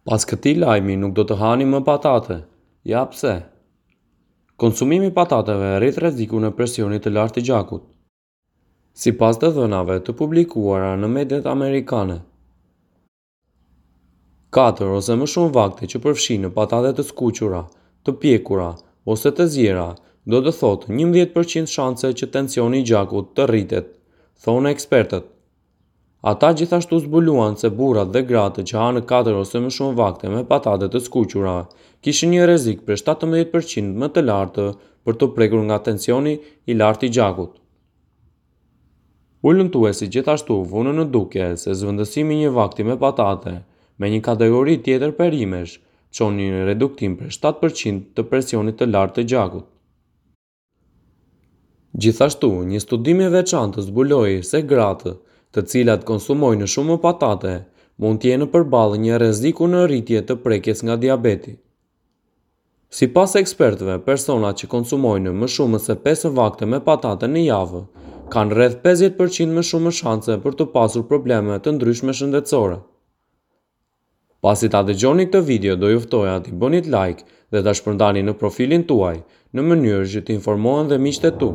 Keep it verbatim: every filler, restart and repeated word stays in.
Pas këtij lajmi nuk do të hani më patate. Ja pse? Konsumimi i patateve rrit rrezikun e presionit të lartë të gjakut. Sipas të dhënave të publikuara në mediat amerikane, katër ose më shumë vakte që përfshijnë patate të skuqura, të pjekura ose të ziera, do të thotë njëmbëdhjetë përqind shanse që tensioni i gjakut të rritet, thonë ekspertët. Ata gjithashtu zbuluan se burrat dhe gratë që hanë katër ose më shumë vakte me patate të skuqura kishin një rrezik prej shtatëmbëdhjetë përqind më të lartë për t'u prekur nga tensioni i lartë i gjakut. Hulumtuesit gjithashtu vunë në dukje se zëvendësimi i një vakti me patate me një kategori tjetër perimesh çon një reduktim prej shtatë përqind të presionit të lartë të gjakut. Gjithashtu, një studim i veçantë zbuloi se gratë, të cilat konsumojnë shumë patate, mund të jenë përballë një rreziku në rritje të prekjes nga diabeti. Sipas ekspertëve, personat që konsumojnë më shumë se pesë vakte me patate në javë kanë rreth pesëdhjetë përqind më shumë shanse për të pasur probleme të ndryshme shëndetësore. Pasi ta dëgjoni këtë video, do ju ftoja t'i bënit like dhe ta shpërndani në profilin tuaj, në mënyrë që të informohen dhe miqtë e tu.